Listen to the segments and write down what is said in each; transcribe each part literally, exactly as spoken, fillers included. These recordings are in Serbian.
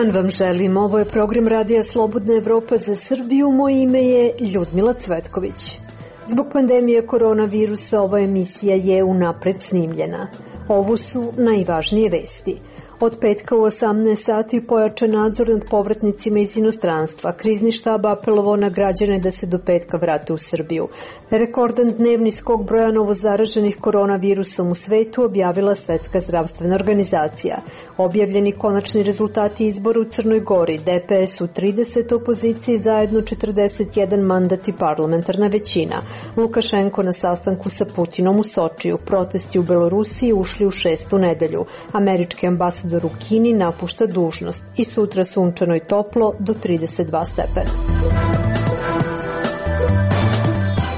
dan vam želim. Ovo je program Radija Slobodna Evropa za Srbiju. Moje ime je Ljudmila Cvetković. Zbog pandemije koronavirusa ova emisija je unapred snimljena. Ovo su najvažnije vesti. Od petka u osamnaest sati pojačan nadzor nad povratnicima iz inostranstva. Krizni štab apelovao na građane da se do petka vrate u Srbiju. Rekordan dnevni skok broja novozaraženih koronavirusom u svetu objavila Svetska zdravstvena organizacija. Objavljeni konačni rezultati izbora u Crnoj Gori, D P S u trideset, opoziciji zajedno četrdeset jedan mandat i parlamentarna većina. Lukašenko na sastanku sa Putinom u Sočiju. Protesti u Belorusiji ušli u šestu nedelju. Američki ambasador u Kini napušta dužnost i sutra sunčano i toplo do trideset dva stepena.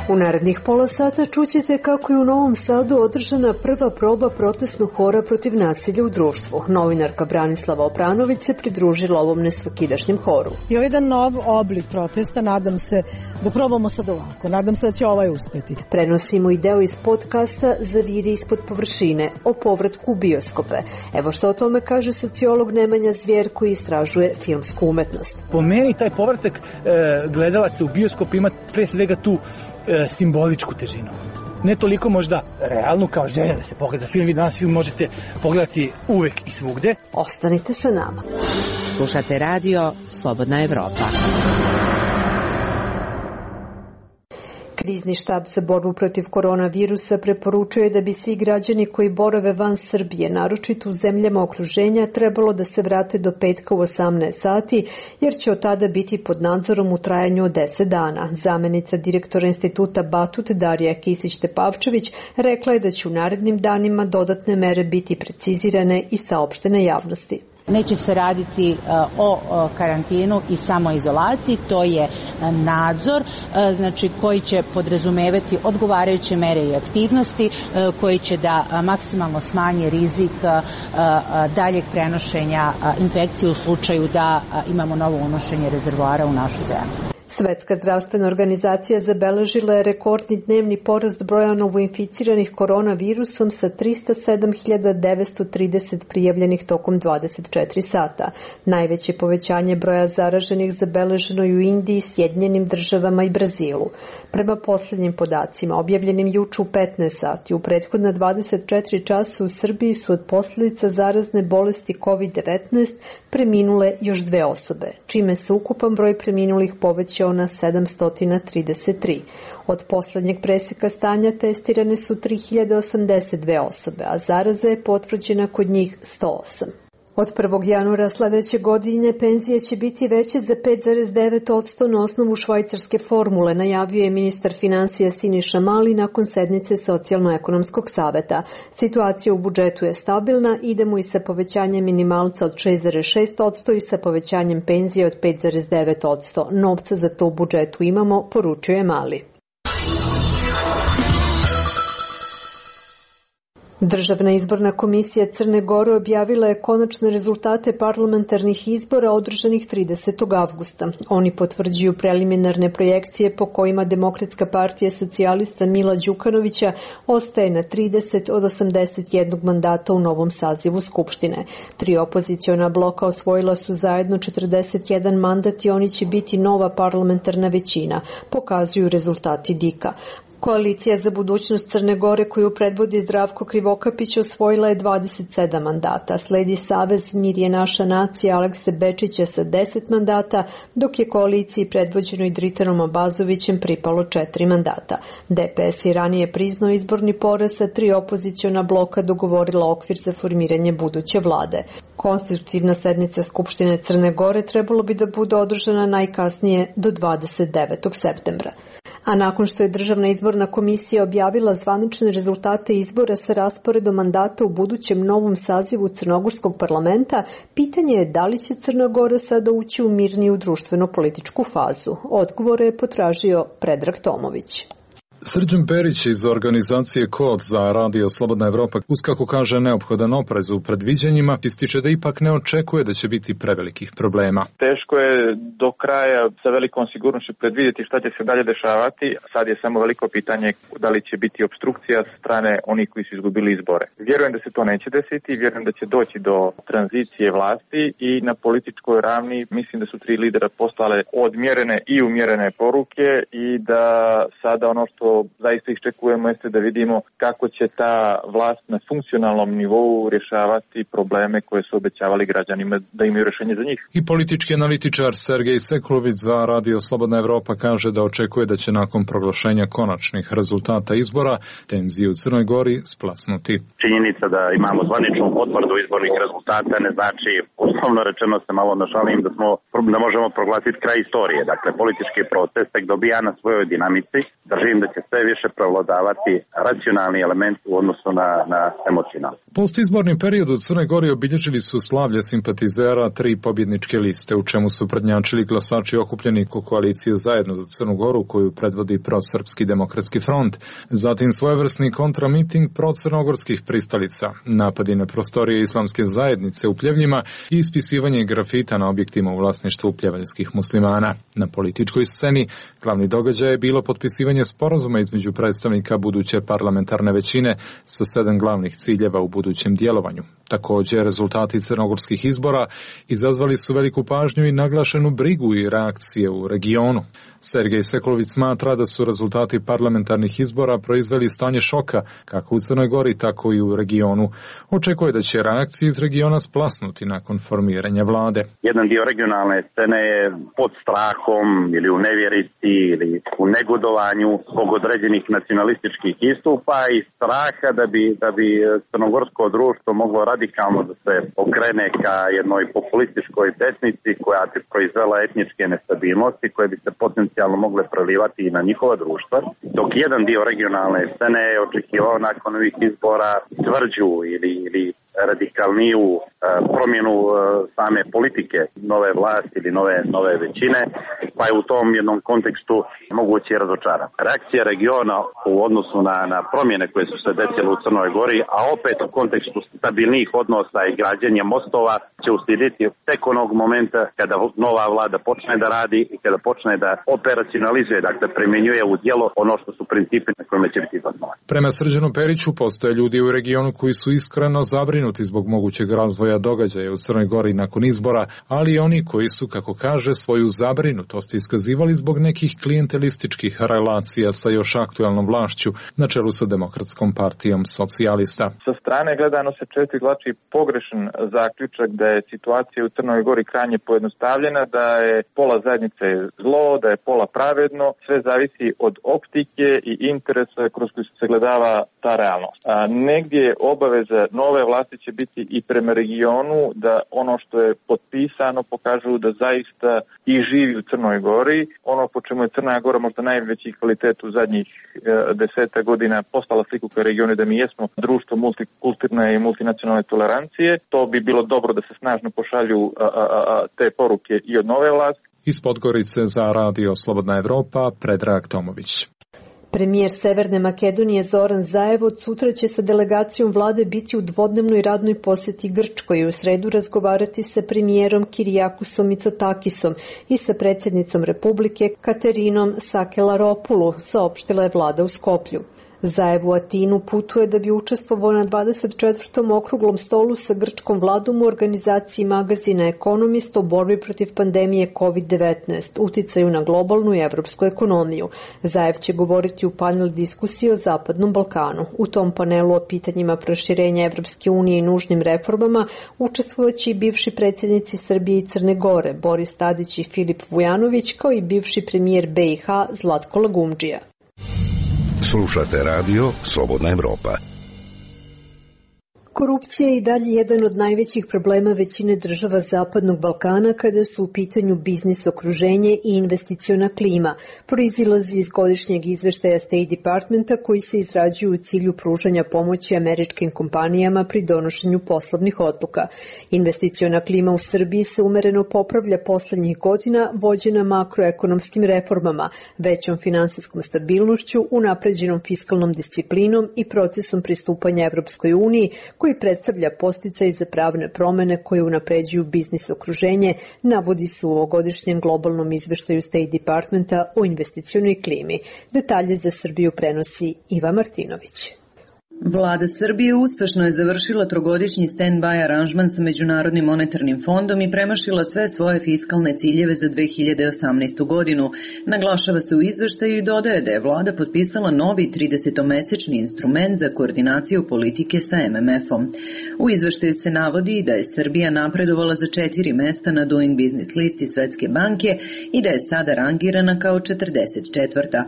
U narednih pola sata čućete kako je u Novom Sadu održana prva proba protestnog hora protiv nasilja u društvu. Novinarka Branislava Opranović se pridružila ovom nesvakidašnjem horu. I ovo je jedan nov oblik protesta, nadam se da probamo sad ovako, nadam se da će ovaj uspeti. Prenosimo i deo iz podcasta Zaviri ispod površine o povratku u bioskope. Evo što o tome kaže sociolog Nemanja Zvijer koji istražuje filmsku umetnost. Po meni taj povratak e, gledalaca u bioskop ima pre svega tu e, simboličku težinu. Ne toliko možda realnu kao želja da se pogleda film. Vi danas film možete pogledati uvek i svugde. Ostanite sa nama. Slušate radio Slobodna Evropa. Krizni štab za borbu protiv koronavirusa preporučuje da bi svi građani koji borave van Srbije, naročito u zemljama okruženja, trebalo da se vrate do petka u osamnaest sati, jer će od tada biti pod nadzorom u trajanju od deset dana. Zamenica direktora instituta Batut Darija Kisić-Tepavčević rekla je da će u narednim danima dodatne mere biti precizirane i saopštene javnosti. Neće se raditi o karantinu i samoizolaciji, to je nadzor, znači koji će podrazumevati odgovarajuće mere i aktivnosti koji će da maksimalno smanje rizik daljeg prenošenja infekcije u slučaju da imamo novo unošenje rezervoara u našu zemlju. Svetska zdravstvena organizacija zabeležila je rekordni dnevni porast broja novoinficiranih koronavirusom sa tristo sedam hiljada devetsto trideset prijavljenih tokom dvadeset četiri sata. Najveće povećanje broja zaraženih zabeleženo je u Indiji, Sjedinjenim državama i Brazilu. Prema posljednjim podacima, objavljenim juče u petnaest sati, u prethodna dvadeset četiri časa u Srbiji su od posljedica zarazne bolesti kovid devetnaest preminule još dve osobe, čime se ukupan broj preminulih povećao na sedamsto trideset tri. Od poslednjeg preseka stanja testirane su tri hiljade osamdeset dve osobe, a zaraza je potvrđena kod njih sto osam. Od prvog januara sledeće godine penzije će biti veće za pet zarez devet posto na osnovu švajcarske formule, najavio je ministar finansija Siniša Mali nakon sednice Socijalno-ekonomskog saveta. Situacija u budžetu je stabilna, idemo i sa povećanjem minimalca od šest zarez šest posto i sa povećanjem penzije od pet zarez devet posto. Novca za to u budžetu imamo, poručuje Mali. Državna izborna komisija Crne Gore objavila je konačne rezultate parlamentarnih izbora održanih tridesetog avgusta. Oni potvrđuju preliminarne projekcije po kojima Demokratska partija socijalista Mila Đukanovića ostaje na trideset od osamdeset jednog mandata u novom sazivu Skupštine. Tri opoziciona bloka osvojila su zajedno četrdeset jedan mandat i oni će biti nova parlamentarna većina, pokazuju rezultati D I K-a. Koalicija za budućnost Crne Gore koju predvodi Zdravko Krivokapić osvojila je dvadeset sedam mandata. Sledi Savez Mir je naša nacija Alekse Bečića sa deset mandata, dok je koaliciji predvođenoj Dritanom Abazovićem pripalo četiri mandata. D P S je ranije priznao izborni poraz, sa tri opoziciona bloka dogovorila okvir za formiranje buduće vlade. Konstitutivna sednica Skupštine Crne Gore trebalo bi da bude održana najkasnije do dvadeset devetog septembra. A nakon što je Državna izborna komisija objavila zvanične rezultate izbora sa rasporedom mandata u budućem novom sazivu Crnogorskog parlamenta, pitanje je da li će Crna Gora sada ući u mirniju društveno-političku fazu. Odgovore je potražio Predrag Tomović. Srđan Perić iz organizacije Kod za Radio Slobodna Evropa, uz kako kaže neophodan oprez u predviđanjima, ističe da ipak ne očekuje da će biti prevelikih problema. Teško je do kraja sa velikom sigurnošću predvidjeti šta će se dalje dešavati. Sad je samo veliko pitanje da li će biti opstrukcija sa strane onih koji su izgubili izbore. Vjerujem da se to neće desiti, vjerujem da će doći do tranzicije vlasti i na političkoj ravni mislim da su tri lidera poslale odmjerene i umjerene poruke i da sada ono što zaista iščekujemo jeste da vidimo kako će ta vlast na funkcionalnom nivou rješavati probleme koje su obećavali građanima da imaju rješenje za njih. I politički analitičar Sergej Seklović za Radio Slobodna Evropa kaže da očekuje da će nakon proglašenja konačnih rezultata izbora tenzije u Crnoj Gori splasnuti. Činjenica da imamo zvaničnu potvrdu izbornih rezultata ne znači, uslovno rečeno se malo našalim, da smo da možemo proglasiti kraj istorije. Dakle, politički proces tek dobija na svojoj dinamici. Držim da će sve više prevladavati racionalni element u odnosu na, na emocionalni. Postizborni period u Crnoj Gori obilježili su slavlje simpatizera tri pobjedničke liste, u čemu su prednjačili glasači okupljeni ko koalicije Zajedno za Crnu Goru, koju predvodi Prosrpski demokratski front, zatim svojevrsni kontramiting procrnogorskih pristalica, napadi na prostorije islamske zajednice u Pljevljima i ispisivanje grafita na objektima u vlasništvu pljevaljskih muslimana. Na političkoj sceni glavni događaj je bilo potpisivanje sporazuma između predstavnika buduće parlamentarne većine sa sedam glavnih ciljeva u budućem djelovanju. Također, rezultati crnogorskih izbora izazvali su veliku pažnju i naglašenu brigu i reakcije u regionu. Sergej Seklović smatra da su rezultati parlamentarnih izbora proizveli stanje šoka kako u Crnoj Gori, tako i u regionu. Očekuje da će reakcije iz regiona splasnuti nakon formiranja vlade. Jedan dio regionalne scene je pod strahom ili u nevjerici ili u negodovanju zbog određenih nacionalističkih istupa i straha da bi, da bi crnogorsko društvo moglo radikalno da se okrene ka jednoj populističkoj desnici koja bi proizvela etničke nestabilnosti koje bi se potencijalno mogle prelivati i na njihova društva, dok jedan dio regionalne scene je očekivao nakon ovih izbora tvrđu ili, ili radikalniju uh, promjenu uh, same politike nove vlasti ili nove, nove većine, pa je u tom jednom kontekstu moguće razočaran. Reakcija regiona u odnosu na, na promjene koje su se desile u Crnoj Gori, a opet u kontekstu stabilnih odnosa i građenja mostova će uslijediti tek onog momenta kada nova vlada počne da radi i kada počne da operacionalizuje, dakle primjenjuje u djelo ono što su principi na kojima će biti zasnovani. Prema Srđanu Periću postoje ljudi u regionu koji su iskreno zabrinuti zbog mogućeg razvoja događaja u Crnoj Gori nakon izbora, ali i oni koji su, kako kaže, svoju zabrinutost iskazivali zbog nekih klijentelističkih relacija sa još aktualnom vlašću na čelu sa Demokratskom partijom socijalista. Sa strane gledano se često izvlači pogrešan zaključak da je situacija u Crnoj Gori krajnje pojednostavljena, da je pola zajednice zlo, da je pola pravedno, sve zavisi od optike i interesa kroz koji se sagledava ta realnost. A negdje je obaveza nove vlasti će biti i prema regionu da ono što je potpisano pokažu da zaista i živi u Crnoj Gori. Ono po čemu je Crna Gora možda najveći kvalitet u zadnjih e, deseta godina postala sliku kao regionu da mi jesmo društvo multikulturne i multinacionalne tolerancije. To bi bilo dobro da se snažno pošalju a, a, a, te poruke i od nove vlasti. Iz Podgorice za Radio Slobodna Evropa, Predrag Tomović. Premijer Severne Makedonije Zoran Zaev od sutra će sa delegacijom vlade biti u dvodnevnoj radnoj posjeti Grčkoj i u sredu razgovarati sa premijerom Kirijakusom Mitsotakisom i sa predsjednicom Republike Katerinom Sakelaropulu, saopštila je vlada u Skoplju. Zaev u Atinu putuje da bi učestvovao na dvadeset četvrtom okruglom stolu sa grčkom vladom u organizaciji magazina Economist o borbi protiv pandemije kovid devetnaest, uticaju na globalnu i evropsku ekonomiju. Zaev će govoriti u panel diskusiji o Zapadnom Balkanu. U tom panelu o pitanjima proširenja Evropske unije i nužnim reformama učestvovaće i bivši predsjednici Srbije i Crne Gore, Boris Tadić i Filip Vujanović, kao i bivši premijer B i H Zlatko Lagumdžija. Slušate radio Slobodna Evropa. Korupcija je i dalje jedan od najvećih problema većine država Zapadnog Balkana kada su u pitanju biznis okruženje i investiciona klima, proizilazi iz godišnjeg izveštaja State Departmenta koji se izrađuju u cilju pružanja pomoći američkim kompanijama pri donošenju poslovnih odluka. Investiciona klima u Srbiji se umereno popravlja poslednjih godina, vođena makroekonomskim reformama, većom finansijskom stabilnošću, unapređenom fiskalnom disciplinom i procesom pristupanja Evropskoj uniji, koji predstavlja podsticaj za pravne promene koje unapređuju biznis okruženje, navodi se u ovogodišnjem globalnom izveštaju State Departmenta o investicionoj klimi. Detalje za Srbiju prenosi Iva Martinović. Vlada Srbije uspešno je završila trogodišnji stand-by aranžman sa Međunarodnim monetarnim fondom i premašila sve svoje fiskalne ciljeve za dve hiljade osamnaestu. godinu. Naglašava se u izveštaju i dodaje da je vlada potpisala novi tridesetomesečni instrument za koordinaciju politike sa M M F-om. U izveštaju se navodi da je Srbija napredovala za četiri mesta na Doing Business listi Svetske banke i da je sada rangirana kao četrdeset četvrta.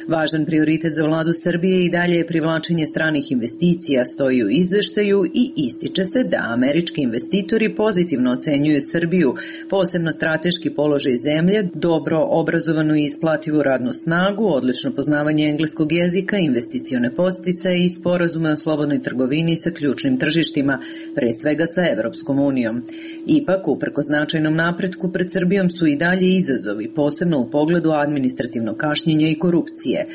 Važan prioritet za vladu Srbije i dalje je privlačenje stranih investicija, stoji u izveštaju i ističe se da američki investitori pozitivno ocenjuju Srbiju, posebno strateški položaj zemlje, dobro obrazovanu i isplativu radnu snagu, odlično poznavanje engleskog jezika, investicione podsticaje i sporazume o slobodnoj trgovini sa ključnim tržištima, pre svega sa Evropskom unijom. Ipak, uprko značajnom napretku, pred Srbijom su i dalje izazovi, posebno u pogledu administrativnog kašnjenja i korupcije.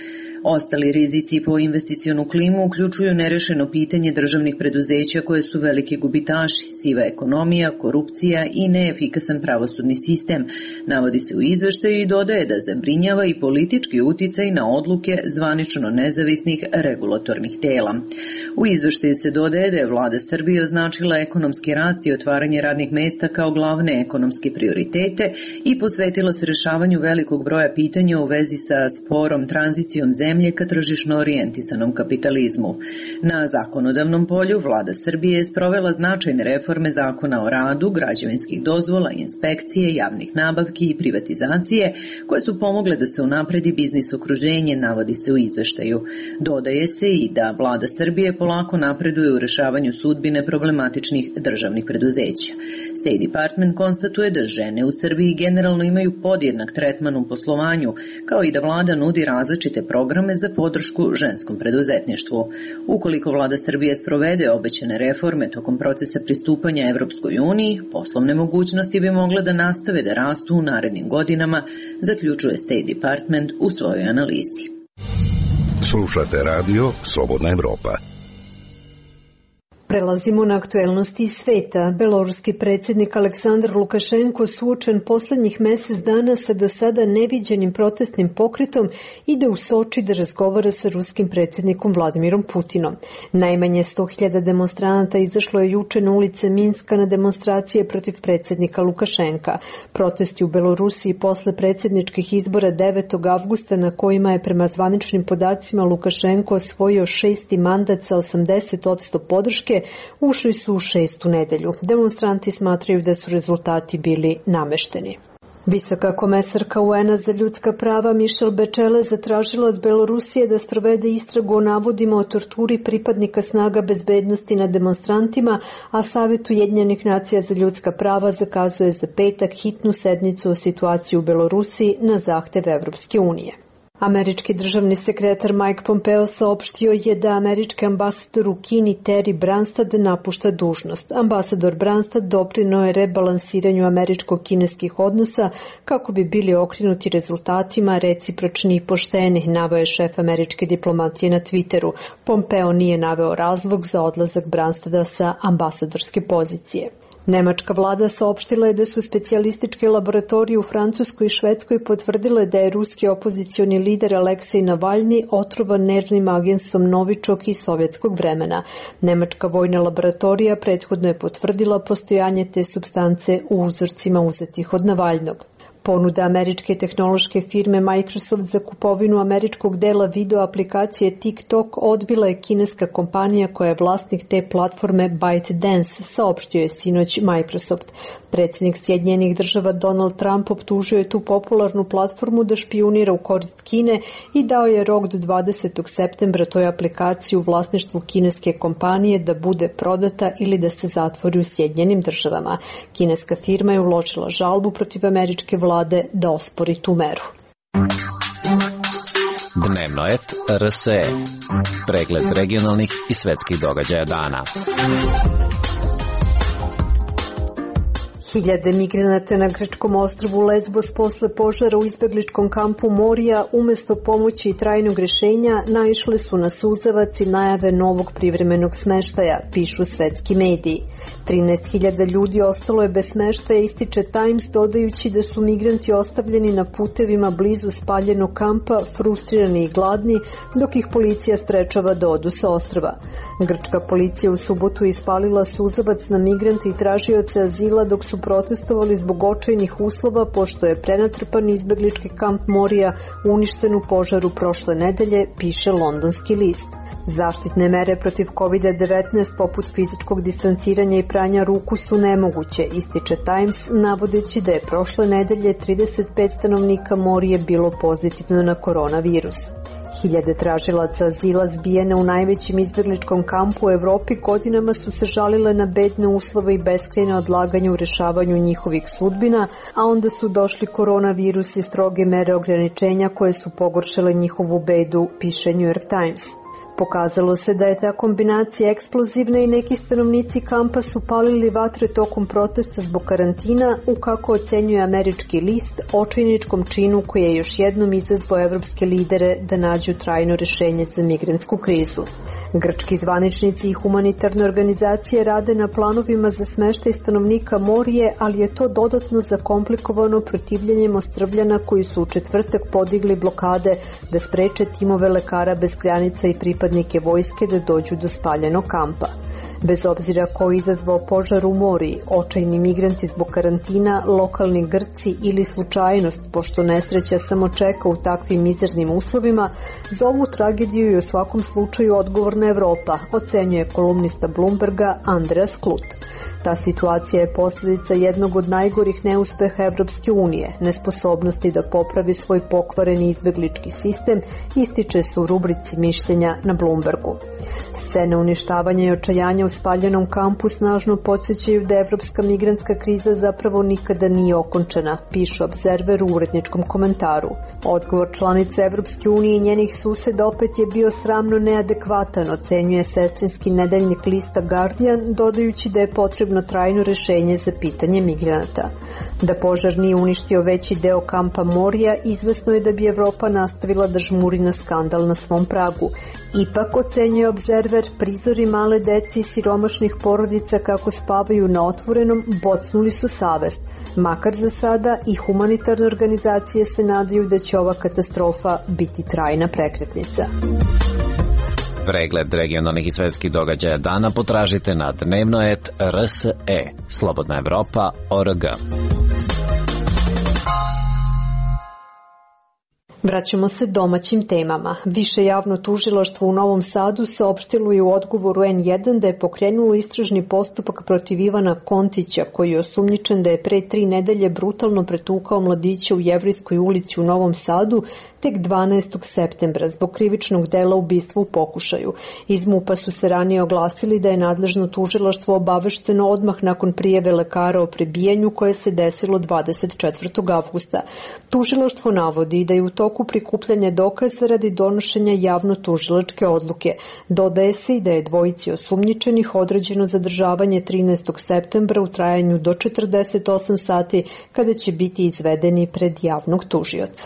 Ostali rizici po investicionu klimu uključuju nerešeno pitanje državnih preduzeća koje su veliki gubitaši, siva ekonomija, korupcija i neefikasan pravosudni sistem, navodi se u izveštaju i dodaje da zabrinjava i politički uticaj na odluke zvanično nezavisnih regulatornih tela. U izveštaju se dodaje da je vlada Srbije označila ekonomski rast i otvaranje radnih mesta kao glavne ekonomske prioritete i posvetila se rešavanju velikog broja pitanja u vezi sa sporom tranzicijom zemlje zemlje ka tržišno orijentisanom kapitalizmu. Na zakonodavnom polju vlada Srbije je sprovela značajne reforme zakona o radu, građevinskih dozvola, inspekcije, javnih nabavki i privatizacije, koje su pomogle da se unapredi biznis okruženje, navodi se u izveštaju. Dodaje se i da vlada Srbije polako napreduje u rešavanju sudbine problematičnih državnih preduzeća. State Department konstatuje da žene u Srbiji generalno imaju podjednak tretman u poslovanju, kao i da vlada nudi različite programe za podršku ženskom preduzetništvu. Ukoliko vlada Srbije sprovede obećane reforme tokom procesa pristupanja Evropskoj uniji, poslovne mogućnosti bi mogle da nastave da rastu u narednim godinama, zaključuje State Department u svojoj analizi. Slušate radio Slobodna Evropa. Prelazimo na aktuelnosti iz sveta. Beloruski predsjednik Aleksandar Lukašenko suočen poslednjih mesec dana sa do sada neviđenim protestnim pokretom ide u Soči da razgovara sa ruskim predsjednikom Vladimirom Putinom. Najmanje sto hiljada demonstranata izašlo je juče na ulice Minska na demonstracije protiv predsjednika Lukašenka. Protesti u Belorusiji posle predsjedničkih izbora devetog avgusta na kojima je prema zvaničnim podacima Lukašenko osvojio šesti mandat sa osamdeset posto podrške, ušli su u šestu nedelju. Demonstranti smatraju da su rezultati bili namešteni. Visoka komesarka U N-a za ljudska prava Michelle Bachelet zatražila od Belorusije da sprovede istragu o navodima o torturi pripadnika snaga bezbednosti nad demonstrantima, a Savet Ujedinjenih nacija za ljudska prava zakazuje za petak hitnu sednicu o situaciji u Belorusiji na zahtev Evropske unije. Američki državni sekretar Mike Pompeo saopštio je da američki ambasador u Kini Terry Branstad napušta dužnost. Ambasador Branstad doprineo je rebalansiranju američko-kineskih odnosa kako bi bili okrenuti rezultatima recipročni i pošteni, naveo je šef američke diplomatije na Twitteru. Pompeo nije naveo razlog za odlazak Branstada sa ambasadorske pozicije. Nemačka vlada saopštila je da su specijalističke laboratorije u Francuskoj i Švedskoj potvrdile da je ruski opozicioni lider Aleksej Navalni otrovan nervnim agensom Novičok iz sovjetskog vremena. Nemačka vojna laboratorija prethodno je potvrdila postojanje te supstance u uzorcima uzetih od Navalnog. Ponuda američke tehnološke firme Microsoft za kupovinu američkog dela video aplikacije TikTok odbila je kineska kompanija koja je vlasnik te platforme ByteDance, saopštio je sinoć Microsoft. Predsjednik Sjedinjenih država Donald Trump optužio je tu popularnu platformu da špijunira u korist Kine i dao je rok do dvadesetog septembra toj aplikaciji u vlasništvu kineske kompanije da bude prodata ili da se zatvori u Sjedinjenim državama. Kineska firma je uložila žalbu protiv američke vlade da ospori tu meru. Dnevno et R S E. Pregled regionalnih i svetskih događaja dana. Hiljade migranata na grčkom ostrvu Lesbos posle požara u izbegličkom kampu Morija umesto pomoći i trajnog rešenja naišle su na suzavac i najave novog privremenog smeštaja, pišu svetski mediji. trinaest hiljada ljudi ostalo je bez smeštaja, ističe Times, dodajući da su migranti ostavljeni na putevima blizu spaljenog kampa, frustrirani i gladni, dok ih policija sprečava da odu sa ostrva. Grčka policija u subotu ispalila suzavac na migrante i tražioce azila dok su protestovali zbog očajnih uslova pošto je prenatrpan izbeglički kamp Morija uništen u požaru prošle nedelje, piše londonski list. Zaštitne mere protiv kovid devetnaest poput fizičkog distanciranja i pranja ruku su nemoguće, ističe Times, navodeći da je prošle nedelje trideset pet stanovnika Morije bilo pozitivno na koronavirus. Hiljade tražilaca azila zbijene u najvećem izbegličkom kampu u Evropi godinama su se žalile na bedne uslove i beskrajno odlaganje u rešavanju njihovih sudbina, a onda su došli koronavirus i stroge mere ograničenja koje su pogoršale njihovu bedu, piše New York Times. Pokazalo se da je ta kombinacija eksplozivna i neki stanovnici kampa su palili vatre tokom protesta zbog karantina u, kako ocenjuje američki list, očajničkom činu koji je još jednom izazvao evropske lidere da nađu trajno rešenje za migrantsku krizu. Grčki zvaničnici i humanitarne organizacije rade na planovima za smeštaj stanovnika Morije, ali je to dodatno zakomplikovano protivljenjem Ostrvljana koji su u četvrtak podigli blokade da spreče timove lekara bez granica i pripadnike vojske da dođu do spaljenog kampa. Bez obzira ko je izazvao požar u Moriji, očajni migranti zbog karantina, lokalni Grci ili slučajnost, pošto nesreća samo čeka u takvim mizernim uslovima, za ovu tragediju i u svakom slučaju odgovorna Evropa, ocenjuje kolumnista Bloomberga Andreas Klut. Ta situacija je posljedica jednog od najgorih neuspeha Evropske unije, nesposobnosti da popravi svoj pokvareni izbeglički sistem, ističe se u rubrici mišljenja na Bloombergu. Scene uništavanja i očajanja u spaljenom kampu snažno podsjećaju da evropska migrantska kriza zapravo nikada nije okončena, piše Observer u uredničkom komentaru. Odgovor članica Evropske unije i njenih suseda opet je bio sramno neadekvatan, ocenjuje sestrinski nedeljnik lista Guardian, dodajući da je potrebno trajno rešenje za pitanje migranata. Da požar nije uništio veći deo kampa Morija, izvesno je da bi Evropa nastavila da žmuri na skandal na svom pragu. Ipak, ocenjuje Observer, prizori male deci i siromašnih porodica kako spavaju na otvorenom bocnuli su savest. Makar za sada i humanitarne organizacije se nadaju da će ova katastrofa biti trajna prekretnica. Pregled regionalnih i svetskih događaja dana potražite na dnevno et R S E, Slobodna Evropa, O R G. Vraćamo se domaćim temama. Više javno tužilaštvo u Novom Sadu saopštilo je u odgovoru en jedan da je pokrenulo istražni postupak protiv Ivana Kontića, koji je osumnjičen da je pre tri nedelje brutalno pretukao mladića u Jevrejskoj ulici u Novom Sadu tek dvanaestog septembra zbog krivičnog dela ubistva u pokušaju. Iz MUP-a su se ranije oglasili da je nadležno tužilaštvo obavešteno odmah nakon prijave lekara o prebijanju koje se desilo dvadeset četvrtog avgusta. Tužilaštvo navodi da je u toku prikupljanja dokaza radi donošenja javno-tužilačke odluke. Dodaje se i da je dvojici osumnjičenih određeno zadržavanje trinaestog septembra u trajanju do četrdeset osam sati kada će biti izvedeni pred javnog tužioca.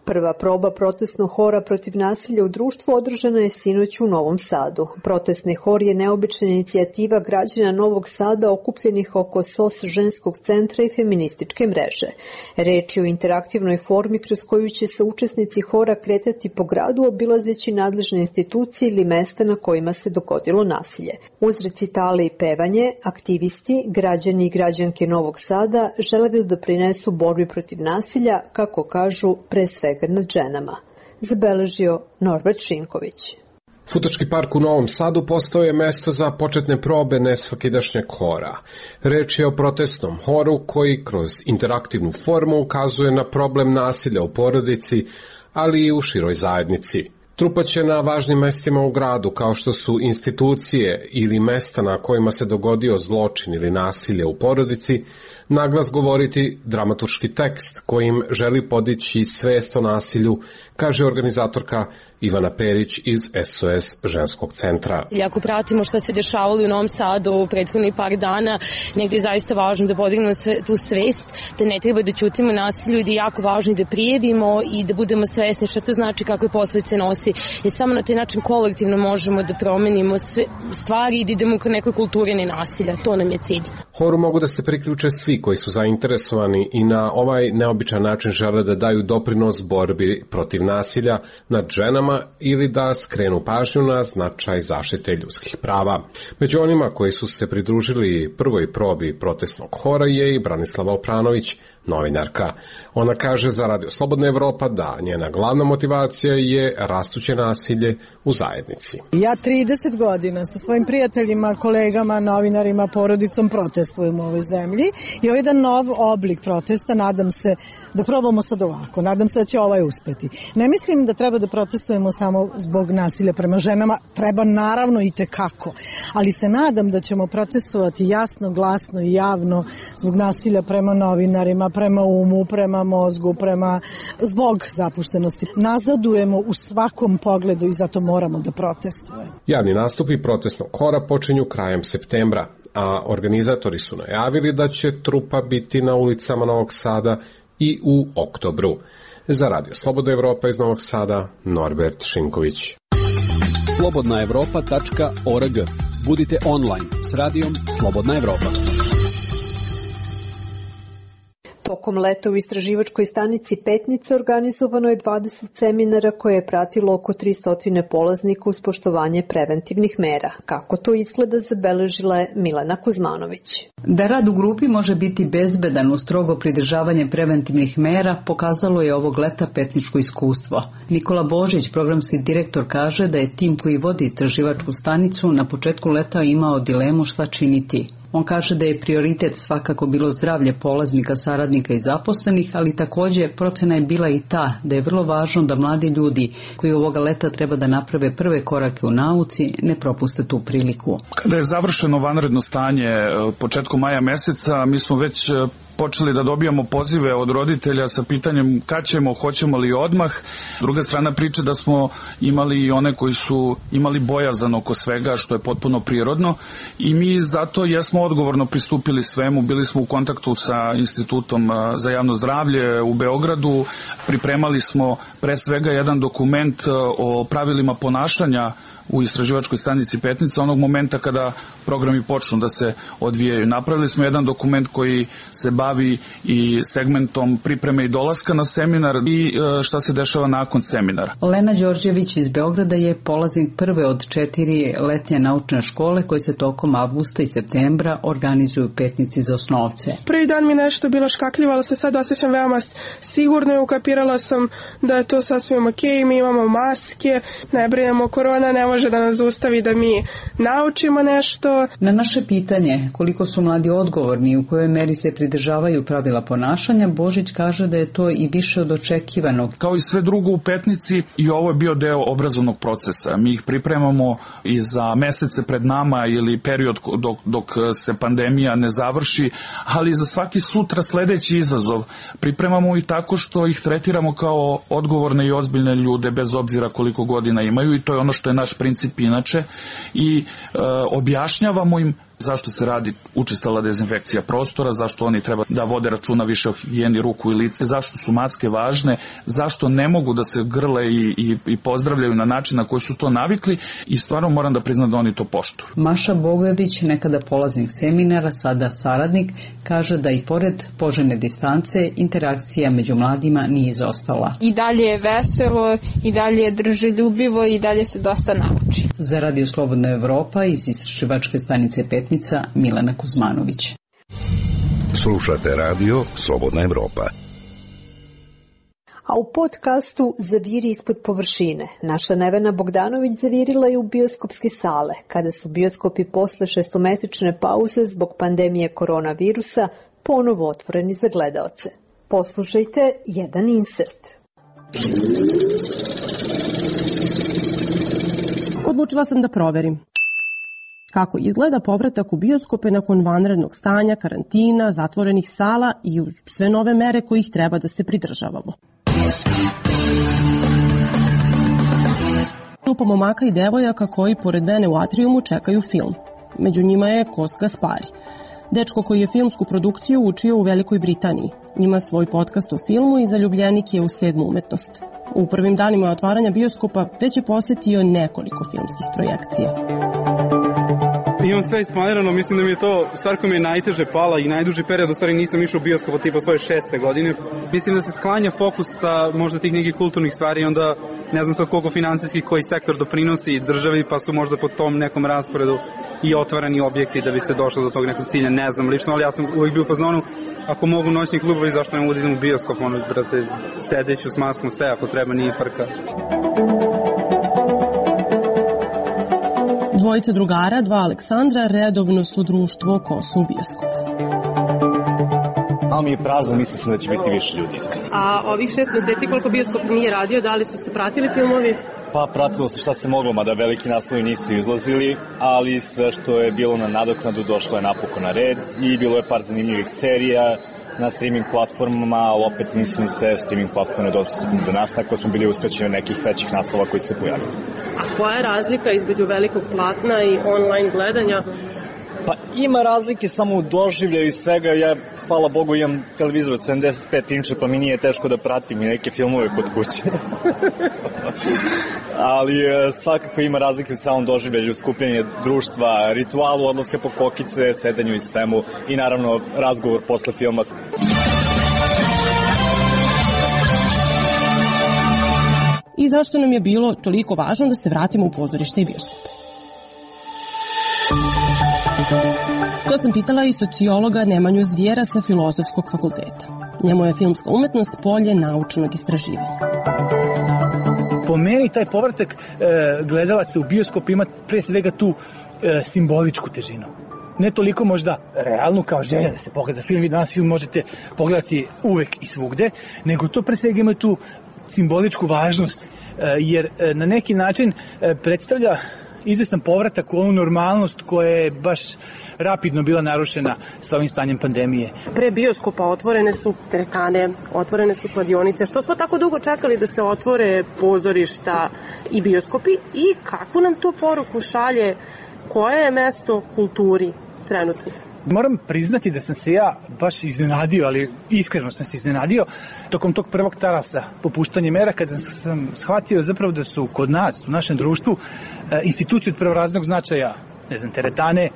Prva proba protestnog hora protiv nasilja u društvu održana je sinoć u Novom Sadu. Protestni hor je neobična inicijativa građana Novog Sada okupljenih oko S O S ženskog centra i feminističke mreže. Reč je o interaktivnoj formi kroz koju će se učesnici hora kretati po gradu obilazeći nadležne institucije ili mesta na kojima se dogodilo nasilje. Uz recitale i pevanje, aktivisti, građani i građanke Novog Sada žele da doprinesu borbi protiv nasilja, kako kažu, pre svega nad ženama. Zabeležio Norbert Šinković. Futački park u Novom Sadu postao je mesto za početne probe nesvakidašnjeg hora. Reč je o protestnom horu koji kroz interaktivnu formu ukazuje na problem nasilja u porodici, ali i u široj zajednici. Trupa će na važnim mestima u gradu, kao što su institucije ili mesta na kojima se dogodio zločin ili nasilje u porodici, naglas govoriti dramaturški tekst kojim želi podići svest o nasilju, kaže organizatorka Ivana Perić iz S O S ženskog centra. Ako pratimo šta se dešavalo u Novom Sadu u prethodnih par dana, negdje je zaista važno da podignemo sve, tu svest, da ne treba da ćutimo nasilju i da je jako važno da prijavimo i da budemo svesni šta to znači, kakve posljedice nosi. Jer samo na taj način kolektivno možemo da promenimo sve stvari i da idemo ka nekoj kulturi nenasilja. To nam je cilj. Horu mogu da se priključe svi koji su zainteresovani i na ovaj neobičan način žele da daju doprinos borbi protiv nasilja nad ženama ili da skrenu pažnju na značaj zaštite ljudskih prava. Među onima koji su se pridružili prvoj probi protestnog hora je i Branislava Opranović, novinarka. Ona kaže za Radio Slobodna Evropa da njena glavna motivacija je rastuće nasilje u zajednici. Ja trideset godina sa svojim prijateljima, kolegama, novinarima, porodicom protestujem u ovoj zemlji i ovo je jedan nov oblik protesta. Nadam se da probamo sad ovako. Nadam se da će ovaj uspeti. Ne mislim da treba da protestujemo samo zbog nasilja prema ženama. Treba naravno i tekako. Ali se nadam da ćemo protestovati jasno, glasno i javno zbog nasilja prema novinarima, prema umu, prema mozgu, prema zbog zapuštenosti. Nazadujemo u svakom pogledu i zato moramo da protestujemo. Javni nastupi protestnog hora počinju krajem septembra, a organizatori su najavili da će trupa biti na ulicama Novog Sada i u oktobru. Za Radio Slobodna Evropa iz Novog Sada, Norbert Šinković. slobodna evropa tačka org. Budite online s radijom Slobodna Evropa. Tokom leta u istraživačkoj stanici Petnica organizovano je dvadeset seminara koje je pratilo oko tristo polaznika uz poštovanje preventivnih mera. Kako to izgleda, zabeležila je Milena Kuzmanović. Da rad u grupi može biti bezbedan uz strogo pridržavanje preventivnih mera pokazalo je ovog leta petničko iskustvo. Nikola Božić, programski direktor, kaže da je tim koji vodi istraživačku stanicu na početku leta imao dilemu šta činiti. On kaže da je prioritet svakako bilo zdravlje polaznika, saradnika i zaposlenih, ali također procena je bila i ta da je vrlo važno da mladi ljudi koji ovoga leta treba da naprave prve korake u nauci ne propuste tu priliku. Kada je završeno vanredno stanje početkom maja meseca, mi smo već počeli da dobijamo pozive od roditelja sa pitanjem kad ćemo, hoćemo li odmah. Druga strana priče da smo imali i one koji su imali bojazan oko svega, što je potpuno prirodno, i mi zato jesmo odgovorno pristupili svemu. Bili smo u kontaktu sa Institutom za javno zdravlje u Beogradu, pripremali smo pre svega jedan dokument o pravilima ponašanja u istraživačkoj stanici Petnica onog momenta kada programi počnu da se odvijaju. Napravili smo jedan dokument koji se bavi i segmentom pripreme i dolaska na seminar i šta se dešava nakon seminara. Lena Đorđević iz Beograda je polaznik prve od četiri letnje naučne škole koje se tokom avgusta i septembra organizuju u Petnici za osnovce. Prvi dan mi nešto bilo škakljivo, ali se sad osjećam veoma sigurno i ukapirala sam da je to sasvim ok, mi imamo maske, ne brinemo, korona ne može da nas zaustavi da mi naučimo nešto. Na naše pitanje koliko su mladi odgovorni i u kojoj meri se pridržavaju pravila ponašanja, Božić kaže da je to i više od očekivanog. Kao i sve drugo u Petnici, i ovo je bio deo obrazovnog procesa. Mi ih pripremamo i za mesece pred nama ili period dok, dok se pandemija ne završi, ali za svaki sutra sledeći izazov pripremamo i tako što ih tretiramo kao odgovorne i ozbiljne ljude bez obzira koliko godina imaju, i to je ono što je naš princip inače, i objašnjavamo im zašto se radi učestala dezinfekcija prostora, zašto oni treba da vode računa više o higijeni ruku i lice, zašto su maske važne, zašto ne mogu da se grle i, i, i pozdravljaju na način na koji su to navikli i stvarno moram da priznam da oni to poštuju. Maša Bogović, nekada polaznik seminara, sada saradnik, kaže da i pored poželjne distance interakcija među mladima nije izostala. I dalje je veselo, i dalje je druželjubivo i dalje se dosta nauči. Za Radio Slobodna Evropa iz istraživačke stanice Petnica, Milena Kuzmanović. Slušate radio Slobodna Evropa. A u podcastu Zaviri ispod površine naša Nevena Bogdanović zavirila je u bioskopske sale, kada su bioskopi posle šestomesečne pauze zbog pandemije koronavirusa ponovo otvoreni za gledaoce. Poslušajte jedan insert. Odlučila sam da proverim kako izgleda povratak u bioskope nakon vanrednog stanja, karantina, zatvorenih sala i uz sve nove mere kojih treba da se pridržavamo. Grupa momaka i devojaka koji pored mene u atrijumu čekaju film. Među njima je Kos Gaspari, dečko koji je filmsku produkciju učio u Velikoj Britaniji. Ima svoj podcast o filmu i zaljubljenik je u sedmu umetnost. U prvim danima otvaranja bioskopa već je posetio nekoliko filmskih projekcija. Imam sve isplanirano, mislim da mi je to stvar koja mi je najteže pala i najduži period, u stvari nisam išao u bioskop tipa svoje šeste godine. Mislim da se sklanja fokus sa možda tih nekih kulturnih stvari i onda ne znam sad koliko finansijski koji sektor doprinosi državi, pa su možda po tom nekom rasporedu i otvarani objekti da bi se došlo do tog nekog cilja, ne znam lično, ali ja sam uvijek bio u fazonu, ako mogu noćni klubovi, zašto ne mogu da idem u bioskop, ono, brate, sedeću s maskom, sve ako treba, nije frka. Dvojica drugara, dva Aleksandra, redovno su društvo Kosu u bioskopu. Malo mi je prazno, mislim se da će biti više ljudi iskreno. A ovih šest meseci koliko bioskop nije radio, da li su se pratili filmovi? Pa pratilo se šta se moglo, mada veliki naslovi nisu izlazili, ali sve što je bilo na nadoknadu došlo je napokon na red i bilo je par zanimljivih serija na streaming platformama, ali opet nisu ni sve streaming platforme dostupne do nas, tako smo bili uskraćeni nekih većih naslova koji se pojavili. A koja je razlika između velikog platna i online gledanja? Pa ima razlike samo u doživljaju i svega. Ja, hvala Bogu, imam televizor od sedamdeset pet inča, pa mi nije teško da pratim i neke filmove kod kuće. Ali svakako ima razlike u samom doživljaju, skupljanje društva, ritualu, odlaska po kokice, sedanju i svemu i naravno razgovor posle filma. I zašto nam je bilo toliko važno da se vratimo u pozorište i bioskope? To sam pitala i sociologa Nemanju Zvijera sa Filozofskog fakulteta. Njemu je filmska umetnost polje naučnog istraživanja. Po meni taj povratak e, gledalaca u bioskop ima pre svega tu e, simboličku težinu. Ne toliko možda realnu kao želja da se pogleda film, vi danas film možete pogledati uvek i svugde, nego to pre svega ima tu simboličku važnost, e, jer e, na neki način e, predstavlja izvestan povratak u onu normalnost koja je baš rapidno bila narušena sa ovim stanjem pandemije. Pre bioskopa otvorene su teretane, otvorene su kladionice. Što smo tako dugo čekali da se otvore pozorišta i bioskopi i kakvu nam to poruku šalje, koje je mesto kulturi trenutno? Moram priznati da sam se ja baš iznenadio, ali iskreno sam se iznenadio tokom tog prvog talasa popuštanja mera, kada sam shvatio zapravo da su kod nas, u našem društvu, institucije od prvorazrednog značaja, ne znam, teretane,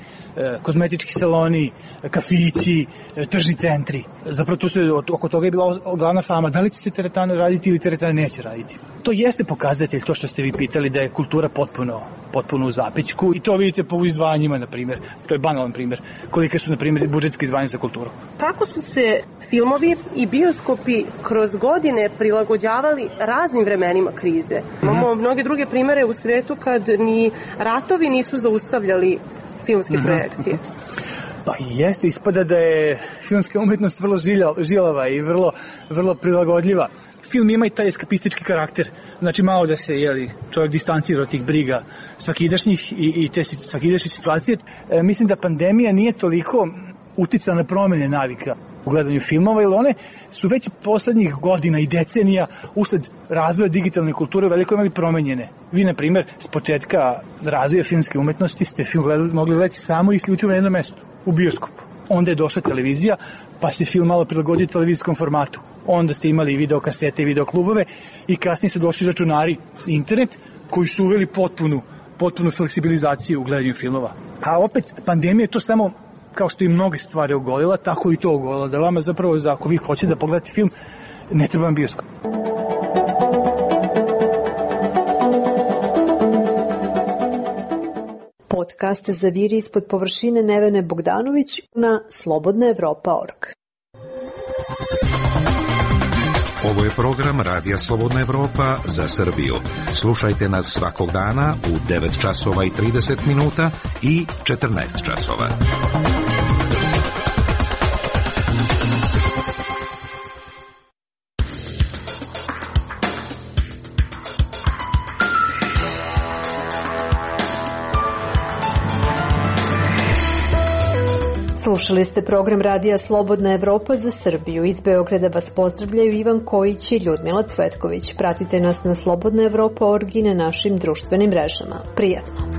kozmetički saloni, kafići, tržni centri. Zapravo tu se, oko toga je bila glavna fama, da li će se teretane raditi ili teretane neće raditi. To jeste pokazatelj, to što ste vi pitali, da je kultura potpuno, potpuno u zapećku i to vidite po izdvajanjima, na primjer. To je banalan primjer. Kolike su, na primjer, budžetske izdvajanja za kulturu. Kako su se filmovi i bioskopi kroz godine prilagođavali raznim vremenima krize? Imamo mm-hmm. mnoge druge primere u svetu kad ni ratovi nisu zaustavljali filmske mm-hmm. projekcije. Pa jeste, ispada da je filmska umetnost vrlo žilava i vrlo, vrlo prilagodljiva. Film ima i taj eskapistički karakter, znači malo da se jeli, čovjek distancira od tih briga svakidašnjih i, i te svakidašnje situacije. E, mislim da pandemija nije toliko uticala na promene navika u gledanju filmova, jer one su već poslednjih godina i decenija usled razvoja digitalne kulture u velikoj meri promenjene. Vi, na primjer, s početka razvoja filmske umetnosti ste film gledali, mogli gledati samo i isključivo na jednom mestu, u bioskopu. Onda je došla televizija, pa se film malo prilagodio televizijskom formatu. Onda ste imali videokasete i videoklubove i kasnije su došli računari i internet koji su uveli potpunu, potpunu fleksibilizaciju u gledanju filmova. A opet, pandemija je to samo, kao što i mnoge stvari ogolila, tako i to ogolila, da vama zapravo, ako vi hoćete da pogledate film, ne treba vam bioskop. Podcast Zaviri ispod površine Nevene Bogdanović na slobodna evropa tačka org. Ovo je program Radija Slobodna Evropa za Srbiju. Slušajte nas svakog dana u devet časova i trideset minuta i četrnaest časova. Slušali ste program Radija Slobodna Evropa za Srbiju. Iz Beograda vas pozdravljaju Ivan Kojić i Ljudmila Cvetković. Pratite nas na slobodna evropa tačka org i na našim društvenim mrežama. Prijatno!